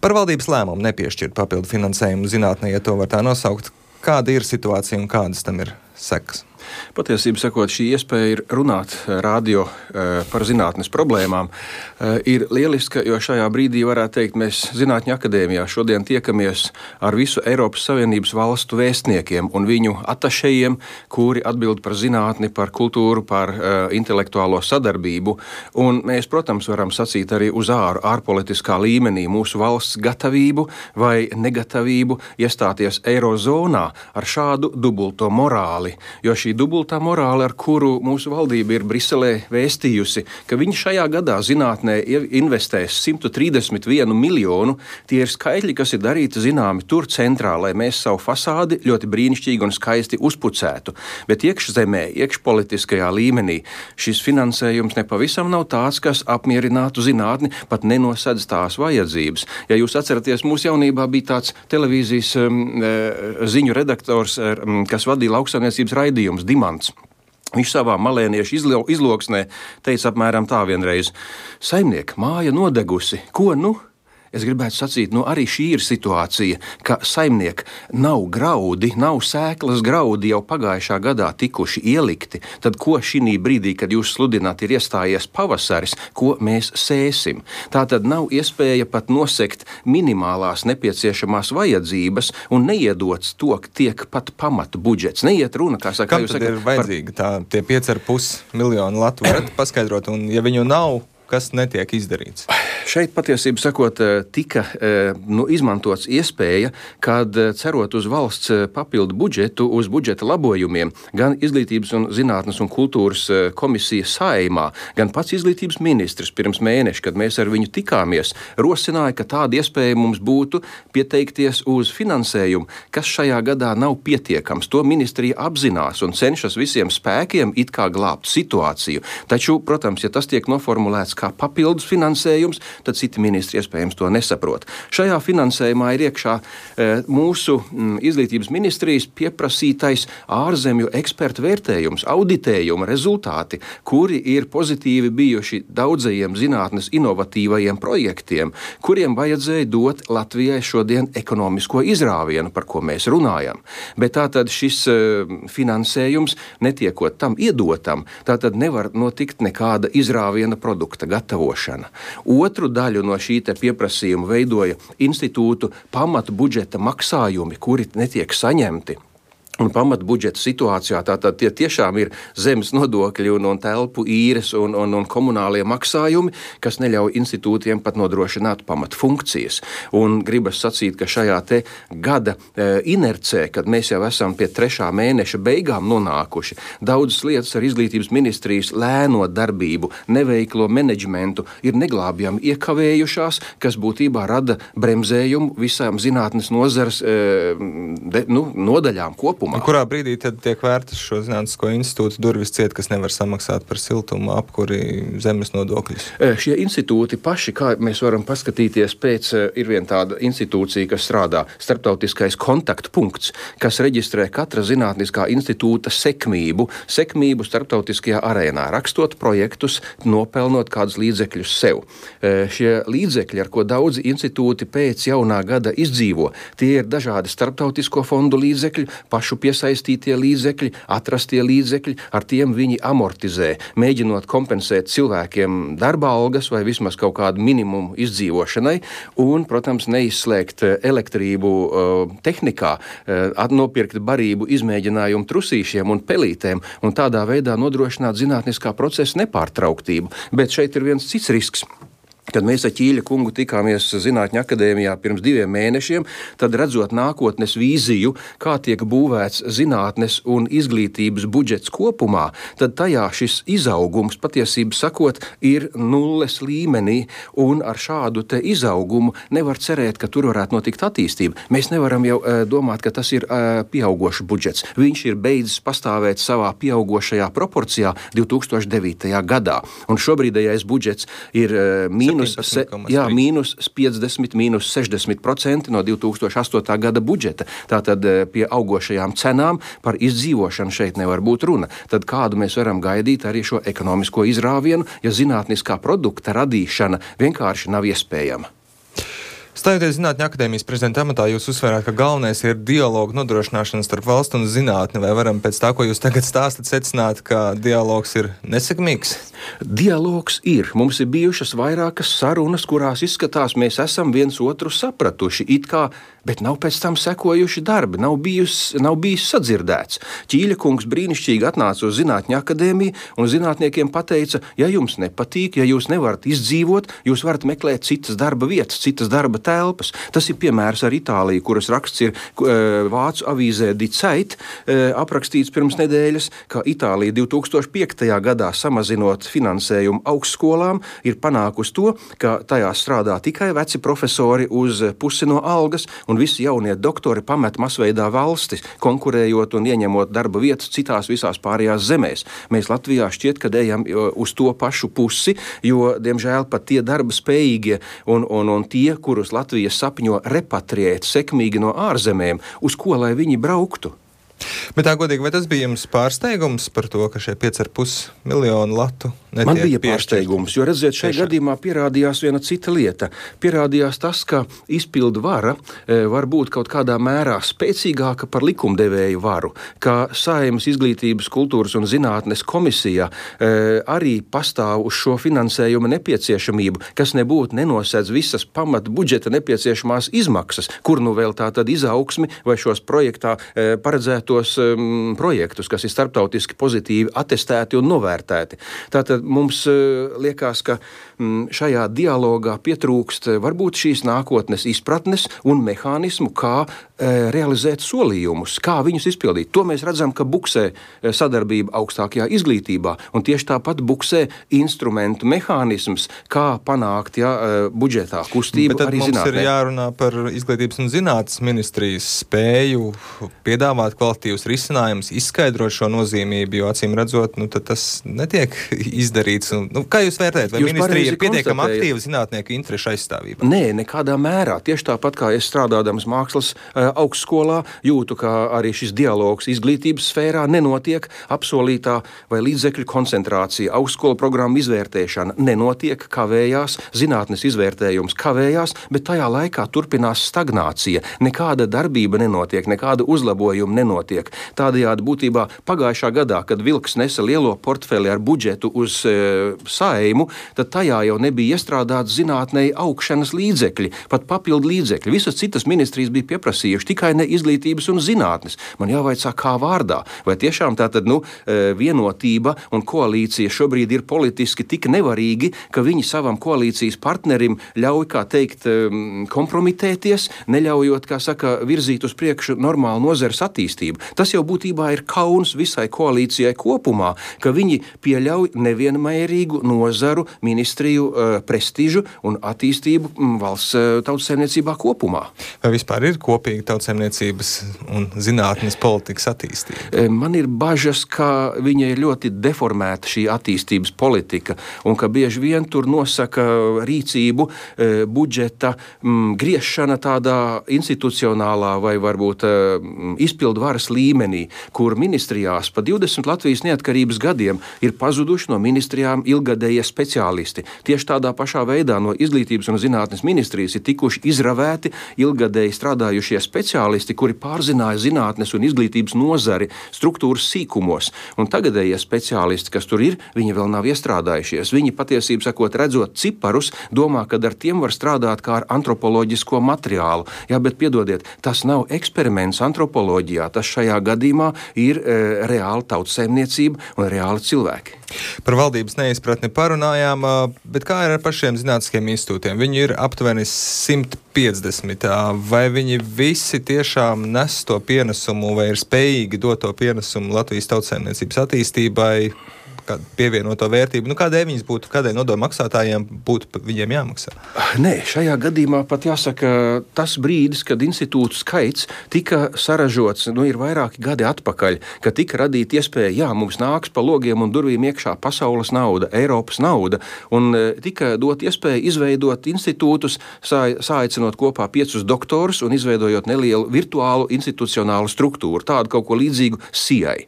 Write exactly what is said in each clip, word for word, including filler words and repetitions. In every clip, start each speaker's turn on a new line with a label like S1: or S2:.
S1: Par valdības lēmumu nepiešķirt papildu finansējumu zinātnē, ja to var tā nosaukt. Kāda ir situācija un kādas tam ir sekas?
S2: Patiesībā sakot, šī iespēja ir runāt radio par zinātnes problēmām ir lieliska, jo šajā brīdī varētu teikt, mēs Zinātņu akadēmijā šodien tiekamies ar visu Eiropas Savienības valstu vēstniekiem un viņu atašejiem, kuri atbild par zinātni, par kultūru, par intelektuālo sadarbību. Un mēs, protams, varam sacīt arī uz āru, ārpolitiskā līmenī mūsu valsts gatavību vai negatavību iestāties eirozonā ar šādu dubulto morāli, jo šī dubultā morāle, ar kuru mūsu valdība ir Briselē vēstījusi, ka viņi šajā gadā zinātnē investēs simt trīsdesmit vienu miljonu, tie ir skaitļi, kas ir darīti zināmi tur centrā, lai mēs savu fasādi ļoti brīnišķīgi un skaisti uzpucētu. Bet iekšzemē, iekšpolitiskajā līmenī šis finansējums nepavisam nav tāds, kas apmierinātu zinātni, pat nenosedz tās vajadzības. Ja jūs atceraties, mūsu jaunībā bija tāds televīzijas um, ziņu redaktors, um, kas vadīja lauksaimniecības raidījums Dimants. Viņš savā malēniešu izlo, izloksnē teica apmēram tā vienreiz: saimniek, māja nodegusi, ko nu? Es gribētu sacīt, nu arī šī ir situācija, ka saimniek nav graudi, nav sēklas graudi jau pagājušā gadā tikuši ielikti. Tad ko šī brīdī, kad jūs sludināt, ir iestājies pavasaris, ko mēs sēsim? Tā tad nav iespēja pat nosekt minimālās nepieciešamās vajadzības un neiedots to, ka tiek pat pamatu budžets. Neiet runa, kā saka.
S1: Kam tad saka, ir vajadzīga tā, tie pieci ar pus miljonu latu varat paskaidrot, un ja viņu nav, kas netiek izdarīts?
S2: Šeit patiesībā sakot, tika nu, izmantots iespēja, kad cerot uz valsts papildu budžetu, uz budžeta labojumiem, gan Izglītības un zinātnes un kultūras komisija Saeimā, gan pats izglītības ministrs pirms mēneša, kad mēs ar viņu tikāmies, rosināja, ka tāda iespēja mums būtu pieteikties uz finansējumu, kas šajā gadā nav pietiekams. To ministrija apzinās un cenšas visiem spēkiem it kā glābt situāciju. Taču, protams, ja tas tiek noformulēts kā papildus finansējums, tad citi ministri iespējams to nesaprot. Šajā finansējumā ir iekšā e, mūsu m, izglītības ministrijas pieprasītais ārzemju ekspertu vērtējums, auditējuma rezultāti, kuri ir pozitīvi bijuši daudzajiem zinātnes inovatīvajiem projektiem, kuriem vajadzēja dot Latvijai šodien ekonomisko izrāvienu, par ko mēs runājam. Bet tātad šis e, finansējums, netiekot tam iedotam, tātad nevar notikt nekāda izrāviena produkta gatavošana. Otru daļu no šī te pieprasījuma veidoja institūtu pamatu budžeta maksājumi, kuri netiek saņemti. Un pamat budžeta situācijā tātad tie tiešām ir zemes nodokļi un, un telpu īres un, un, un komunālie maksājumi, kas neļauj institūtiem pat nodrošināt pamat funkcijas. Un gribas sacīt, ka šajā te gada e, inercē, kad mēs jau esam pie trešā mēneša beigām nonākuši, daudzas lietas ar izglītības ministrijas lēno darbību, neveiklo menedžmentu ir neglābjami iekavējušās, kas būtībā rada bremzējumu visām zinātnes nozares e, de, nu, nodaļām kopumā.
S1: Kurā brīdī tad tiek vērtas šo zinātnisko institūtu durvis ciet, kas nevar samaksāt par siltumu, apkuri, zemes nodokļus?
S2: Šie institūti paši, kā mēs varam paskatīties pēc, ir viena tāda institūcija, kas strādā, starptautiskais kontaktpunkts, kas reģistrē katra zinātniskā institūta sekmību, sekmību starptautiskajā arēnā, rakstot projektus, nopelnot kādus līdzekļus sev. Šie līdzekļi, ar ko daudzi institūti pēc jaunā gada izdzīvo, tie ir dažādi starptautisko fondu līdzekļi, pašu piesaistītie līdzekļi, atrastie līdzekļi, ar tiem viņi amortizē, mēģinot kompensēt cilvēkiem darba algas vai vismaz kaut kādu minimumu izdzīvošanai un, protams, neizslēgt elektrību uh, tehnikā, uh, nopirkt barību izmēģinājumu trusīšiem un pelītēm un tādā veidā nodrošināt zinātniskā procesa nepārtrauktību. Bet šeit ir viens cits risks. Kad mēs ar Ķīļa kungu tikāmies Zinātņu akadēmijā pirms diviem mēnešiem, tad redzot nākotnes vīziju, kā tiek būvēts zinātnes un izglītības budžets kopumā, tad tajā šis izaugums, patiesībā sakot, ir nulles līmenī, un ar šādu te izaugumu nevar cerēt, ka tur varētu notikt attīstība. Mēs nevaram jau uh, domāt, ka tas ir uh, pieaugošs budžets. Viņš ir beidzis pastāvēt savā pieaugošajā proporcijā divi tūkstoši devītajā gadā, un šobrīdējais budžets ir uh, mīnus Se, jā, mīnus piecdesmit, mīnus sešdesmit procenti no divi tūkstoši astotā gada budžeta. Tātad pie augošajām cenām par izdzīvošanu šeit nevar būt runa. Tad kādu mēs varam gaidīt arī šo ekonomisko izrāvienu, ja zinātniskā produkta radīšana vienkārši nav iespējama?
S1: Stājoties Zinātņu akadēmijas prezidenta amatā, jūs uzsvērāt, ka galvenais ir dialogu nodrošināšana starp valstu un zinātni. Vai varam pēc tā, ko jūs tagad stāstat, secināt, ka dialogs ir nesekmīgs?
S2: Dialogs ir. Mums ir bijušas vairākas sarunas, kurās izskatās, mēs esam viens otru sapratuši, it kā, bet nav pēc tam sekojuši darbi, nav bijis, nav bijis sadzirdēts. Ķīļa kungs brīnišķīgi atnāca uz Zinātņu akadēmiju un zinātniekiem pateica, ja jums nepatīk, ja jūs nevarat izdzīvot, jūs varat meklēt citas darba vietas, citas darba telpas. Tas ir piemērs ar Itāliju, kuras raksts ir vācu avīzē Die Zeit, aprakstīts pirms nedēļas, ka Itālija divi tūkstoši piektajā gadā samazinot finansējumu augstskolām, ir panākusi to, ka tajās strādā tikai veci profesori uz pusi no algas, un visi jaunie doktori pamet masveidā valstis, konkurējot un ieņemot darba vietas citās visās pārējās zemēs. Mēs Latvijā šķiet, ka ejam uz to pašu pusi, jo, diemžēl, pat tie darba spējīgie un, un, un tie, kurus Latvija sapņo repatriēt sekmīgi no ārzemēm, uz ko lai viņi brauktu?
S1: Bet tā godīgi, vai tas bija jums pārsteigums par to, ka šie pieci ar pus miljonu latu netiek
S2: Man bija
S1: piešķirti?
S2: pārsteigums, jo, redziet, šajā
S1: Tiešām.
S2: gadījumā pierādījās viena cita lieta. Pierādījās tas, ka izpildu vara e, var būt kaut kādā mērā spēcīgāka par likumdevēju varu, ka Saeimas izglītības, kultūras un zinātnes komisijā e, arī pastāv uz šo finansējuma nepieciešamību, kas nebūtu nenosēdz visas pamat budžeta nepieciešamās izmaksas, kur nu vēl tā tad izaugsmi vai šos projektā e, paredzētu tos um, projektus, kas ir starptautiski pozitīvi atestēti un novērtēti. Tātad mums uh, liekas, ka um, šajā dialogā pietrūkst uh, varbūt šīs nākotnes izpratnes un mehānismu, kā uh, realizēt solījumus, kā viņus izpildīt. To mēs redzam, ka buksē uh, sadarbība augstākajā izglītībā, un tieši tāpat buksē instrumentu mehānisms, kā panākt ja, uh, budžetā kustību
S1: Bet tad
S2: arī
S1: mums
S2: zinātnē.
S1: ir jārunā par izglītības un zinātnes ministrijas spēju piedāvāt kvalitīvus risinājumus, izskaidrot šo nozīmību, jo acīm redzot, nu, tas netiek izdarīts. Un, nu, kā jūs vērtējat? Vai
S2: Jūs
S1: ministrija ir pietiekami
S2: konstatējat.
S1: aktīva zinātnieku interešu aizstāvībā?
S2: Nē, nekādā mērā. Tieši tāpat kā es strādādams mākslas uh, augstskolā, jūtu, ka arī šis dialogs izglītības sfērā nenotiek, apsolītā vai līdzekļu koncentrācija, augstskolu programmu izvērtēšana nenotiek, kavējās, zinātnes izvērtējums kavējās, bet tajā laikā turpinās stagnācija. Nekāda darbība nenotiek, nekāda uzlabojuma nenotiek. Tādējādi būtībā pagājušā gadā, kad Vilks nesa lielo portfeli ar budžetu uz e, Saeimu, tad tajā jau nebija iestrādāts zinātnei augšanas līdzekļi, pat papildu līdzekļi. Visas citas ministrijas bija pieprasījuši, tikai ne izglītības un zinātnes. Man jāvaicā, kā vārdā. Vai tiešām tātad, nu, vienotība un koalīcija šobrīd ir politiski tik nevarīgi, ka viņi savam koalīcijas partnerim ļauj, kā teikt, kompromitēties, neļaujot, kā saka, virzīt uz priekšu normālu nozares attīstību. Tas jau būtībā ir kauns visai koalīcijai kopumā, ka viņi pieļauj nevienmērīgu nozaru, ministriju uh, prestižu un attīstību m, valsts uh, tautsaimniecībā kopumā.
S1: Vai vispār ir kopīga tautsaimniecības un zinātnes politikas attīstība?
S2: Man ir bažas, ka viņa ir ļoti deformēta šī attīstības politika un ka bieži vien tur nosaka rīcību, e, budžeta m, griešana tādā institucionālā vai varbūt e, izpildu varas līmenī, kur ministrijās pa divdesmit Latvijas neatkarības gadiem ir pazuduši no ministrijām ilgadējie speciālisti. Tieši tādā pašā veidā no izglītības un zinātnes ministrijas ir tikuši izravēti ilgadēji strādājušie speciālisti, kuri pārzināja zinātnes un izglītības nozari struktūras sīkumos. Un tagadējie speciālisti, kas tur ir, viņi vēl nav iestrādājušies. Viņi patiesībā sakot, redzot ciparus, domā, ka ar tiem var strādāt kā ar antropoloģisko materiālu. Jā, bet piedodiet, tas nav eksperiments antropoloģijā. Tas šajā gadījumā ir e, reāla tautsaimniecība un reāli cilvēki.
S1: Par valdības neizpratni parunājām, bet kā ir ar pašiem zinātniskiem institūtiem? Viņi ir aptuveni simt piecdesmit. Vai viņi visi tiešām nes to pienesumu vai ir spējīgi dot to pienesumu Latvijas tautsaimniecības attīstībai, pievienoto vērtību? Nu, kādēļ viņas būtu, kādēļ nodokļu maksātājiem būtu viņiem jāmaksā?
S2: Nē, šajā gadījumā pat jāsaka, tas brīdis, kad institūtu skaits tika saražots, nu, ir vairāki gadi atpakaļ, kad tika radīta iespēja, jā, mums nāks pa logiem un durvīm iekšā pasaules nauda, Eiropas nauda, un tika dot iespēja izveidot institūtus, sā, sāicinot kopā piecus doktorus un izveidojot nelielu virtuālu institucionālu struktūru, tādu kaut ko līdzīgu S I A.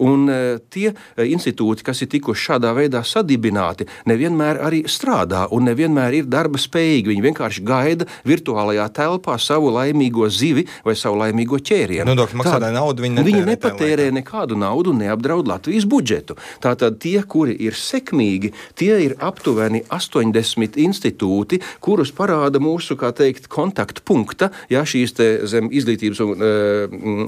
S2: Un tie institūti, kas kas ir tikuši šādā veidā sadibināti, nevienmēr arī strādā un nevienmēr ir darba spējīgi. Viņi vienkārši gaida virtuālajā telpā savu laimīgo zivi vai savu laimīgo ķērienu.
S1: Nodokļu maksātāju naudu viņi netērē.
S2: Viņi nepatērē nekādu naudu un neapdraud Latvijas budžetu. Tātad tie, kuri ir sekmīgi, tie ir aptuveni astoņdesmit institūti, kurus parāda mūsu, kā teikt, kontaktpunkta, ja šīs te zem izglītības un e,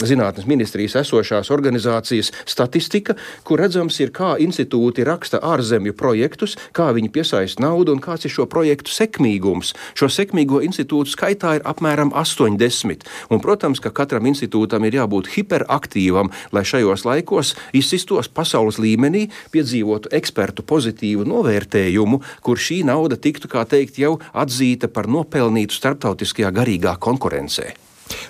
S2: zinātnes ministrijas esošās organizācijas statistika, kur redzams ir, kā institūti raksta ārzemju projektus, kā viņi piesaista naudu un kāds ir šo projektu sekmīgums. Šo sekmīgo institūtu skaitā ir apmēram astoņdesmit. Un, protams, ka katram institūtam ir jābūt hiperaktīvam, lai šajos laikos izsistos pasaules līmenī, piedzīvotu ekspertu pozitīvu novērtējumu, kur šī nauda tiktu, kā teikt, jau atzīta par nopelnītu starptautiskajā garīgā konkurencē.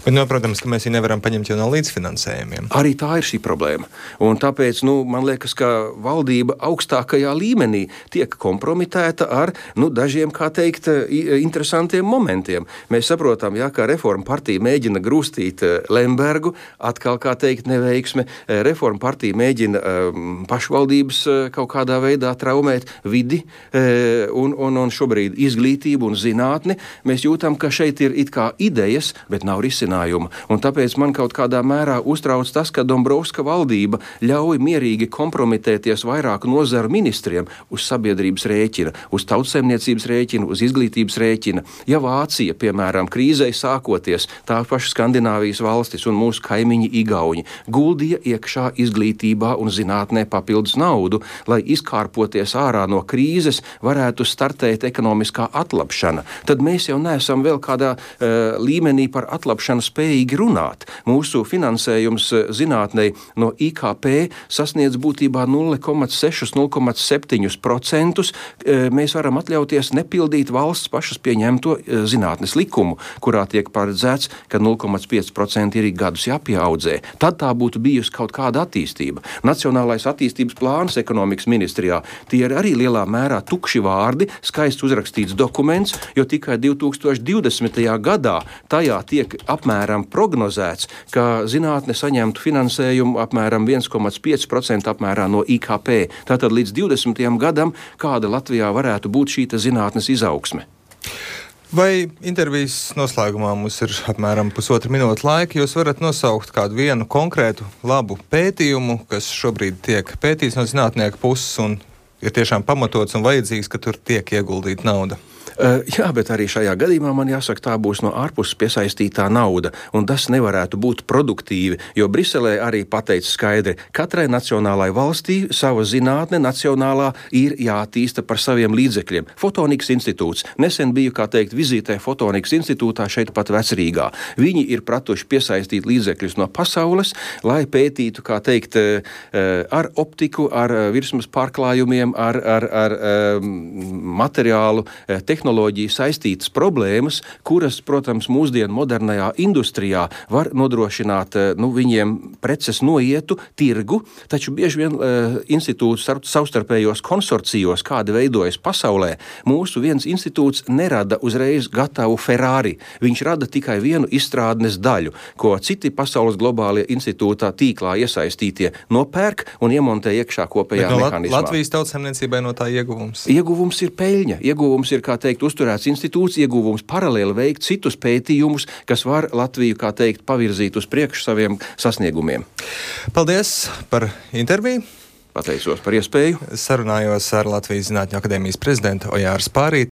S1: Bet, nu, protams, ka mēs viņu nevaram paņemt jau no līdzfinansējumiem.
S2: Arī tā ir šī problēma. Un tāpēc, nu, man liekas, ka valdība augstākajā līmenī tiek kompromitēta ar, nu, dažiem, kā teikt, interesantiem momentiem. Mēs saprotam, jā, kā Reforma partija mēģina grūstīt Lembergu, atkal, kā teikt, neveiksme. Reforma partija mēģina um, pašvaldības uh, kaut kādā veidā traumēt vidi uh, un, un, un šobrīd izglītību un zinātni. Mēs jūtam, ka šeit ir it kā idejas, bet nav risinājuma. Un tāpēc man kaut kādā mērā uztrauc tas, ka Dombrovska valdība ļauj mierīgi kompromitēties vairāku nozaru ministriem uz sabiedrības rēķina, uz tautsaimniecības rēķina, uz izglītības rēķina. Ja Vācija, piemēram, krīzei sākoties, tā paša Skandināvijas valstis un mūsu kaimiņi Igauņi guldīja iekšā izglītībā un zinātnē papildus naudu, lai izkārpoties ārā no krīzes varētu startēt ekonomiskā atlapšana, tad mēs jau neesam vēl kādā uh, līmenī par atlapšanu spējīgi runāt. Mūsu finansējums zinātnei no I K P sasniedz būtībā nulle komats seši - nulle komats septiņi procenti. Mēs varam atļauties nepildīt valsts pašas pieņemto zinātnes likumu, kurā tiek paredzēts, ka nulle komats pieci procenti ir gadus jāpieaudzē. Tad tā būtu bijusi kaut kāda attīstība. Nacionālais attīstības plāns ekonomikas ministrijā, tie ir arī lielā mērā tukši vārdi, skaists uzrakstīts dokuments, jo tikai divi tūkstoši divdesmitajā gadā tajā tiek apmēram prognozēts, ka zinātne saņemtu finansējumu apmēram viens komats pieci procenti apmērā no I K P. Tātad līdz divdesmitajam gadam, kāda Latvijā varētu būt šī zinātnes izaugsme.
S1: Vai intervijas noslēgumā mums ir apmēram pusotra minūte laika, jūs varat nosaukt kādu vienu konkrētu labu pētījumu, kas šobrīd tiek pētīts no zinātnieku puses un ir tiešām pamatots un vajadzīgs, ka tur tiek ieguldīta nauda?
S2: Uh, jā, bet arī šajā gadījumā man jāsaka, tā būs no ārpuses piesaistītā nauda, un tas nevarētu būt produktīvi, jo Briselē arī pateica skaidri, katrai nacionālai valstī sava zinātne nacionālā ir jātīsta par saviem līdzekļiem. Fotonikas institūts. Nesen biju, kā teikt, vizītē Fotonikas institūtā šeit pat Vecrīgā. Viņi ir pratuši piesaistīt līdzekļus no pasaules, lai pētītu, kā teikt, ar optiku, ar virsmas pārklājumiem, ar, ar, ar materiālu tehnoloģiju, tehnoloģiju saistītas problēmas, kuras, protams, mūsdienu modernajā industrijā var nodrošināt, nu, viņiem preces noietu tirgu, taču bieži vien uh, institūts savstarpējos konsorcijos, kādi veidojas pasaulē, mūsu viens institūts nerada uzreiz gatavu Ferrari. Viņš rada tikai vienu izstrādnes daļu, ko citi pasaules globālie institūtā tīklā iesaistītie nopērk un iemontē iekšā kopējā
S1: no
S2: mehānismā.
S1: Latvijas tautsaimniecībai no tā ieguvums?
S2: Ieguvums ir peļņa. Ieguvums ir, kā teikt, uzturēts institūts, ieguvums paralēli veikt citus pētījumus, kas var Latviju, kā teikt, pavirzīt uz priekšu saviem sasniegumiem.
S1: Paldies par interviju.
S2: Pateicos par iespēju.
S1: Sarunājos ar Latvijas Zinātņu akadēmijas prezidentu Ojāru Spārīti.